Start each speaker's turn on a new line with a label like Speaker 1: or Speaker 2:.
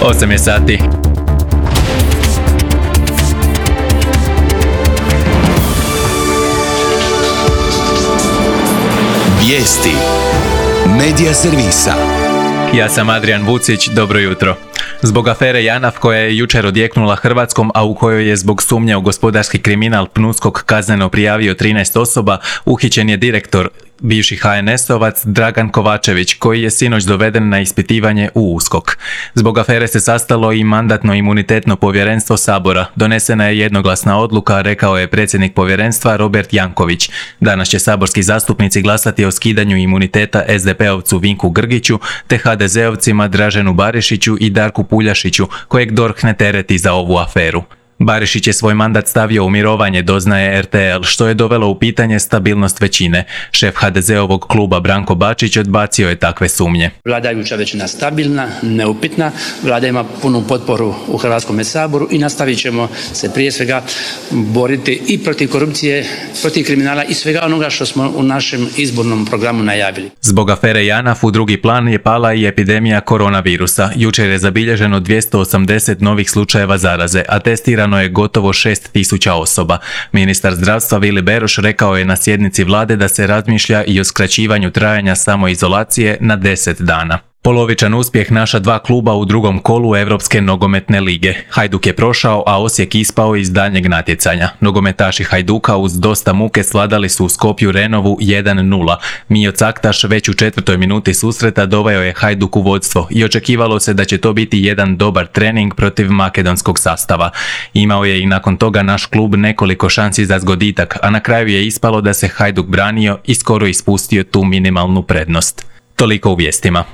Speaker 1: 8 je sati.
Speaker 2: Vijesti Medija servisa.
Speaker 1: Ja sam Adrian Vucić, dobro jutro. Zbog afere JANAF koja je jučer odjeknula Hrvatskom, a u kojoj je zbog sumnje u gospodarski kriminal PNUSKOK kazneno prijavio 13 osoba, uhićen je direktor, bivši HNS-ovac Dragan Kovačević, koji je sinoć doveden na ispitivanje u USKOK. Zbog afere se sastalo i Mandatno-imunitetno povjerenstvo Sabora. Donesena je jednoglasna odluka, rekao je predsjednik povjerenstva Robert Janković. Danas će saborski zastupnici glasati o skidanju imuniteta SDP-ovcu Vinku Grgiću te HDZ-ovcima Draženu Barišiću i Darku Puljašiću, kojeg DORH ne tereti za ovu aferu. Barišić je svoj mandat stavio u mirovanje, doznaje RTL, što je dovelo u pitanje stabilnost većine. Šef HDZ-ovog kluba Branko Bačić odbacio je takve sumnje.
Speaker 3: Vladajuća većina stabilna, neupitna, Vlada ima punu potporu u Hrvatskom saboru i nastavit ćemo se prije svega boriti i protiv korupcije, protiv kriminala i svega onoga što smo u našem izbornom programu najavili.
Speaker 1: Zbog afere JANAF u drugi plan je pala i epidemija koronavirusa. Jučer je zabilježeno 280 novih slučajeva zaraze, a testirano je gotovo 6.000 osoba. Ministar zdravstva Vili Beroš rekao je na sjednici vlade da se razmišlja i o skraćivanju trajanja samoizolacije na 10 dana. Polovičan uspjeh naša dva kluba u drugom kolu Europske nogometne lige. Hajduk je prošao, a Osijek ispao iz daljnjeg natjecanja. Nogometaši Hajduka uz dosta muke svladali su u Skopju Renovu 1:0. Mijo Caktaš već u 4. minuti susreta doveo je Hajduk u vodstvo i očekivalo se da će to biti jedan dobar trening protiv makedonskog sastava. Imao je i nakon toga naš klub nekoliko šansi za zgoditak, a na kraju je ispalo da se Hajduk branio i skoro ispustio tu minimalnu prednost. Toliko u vijestima.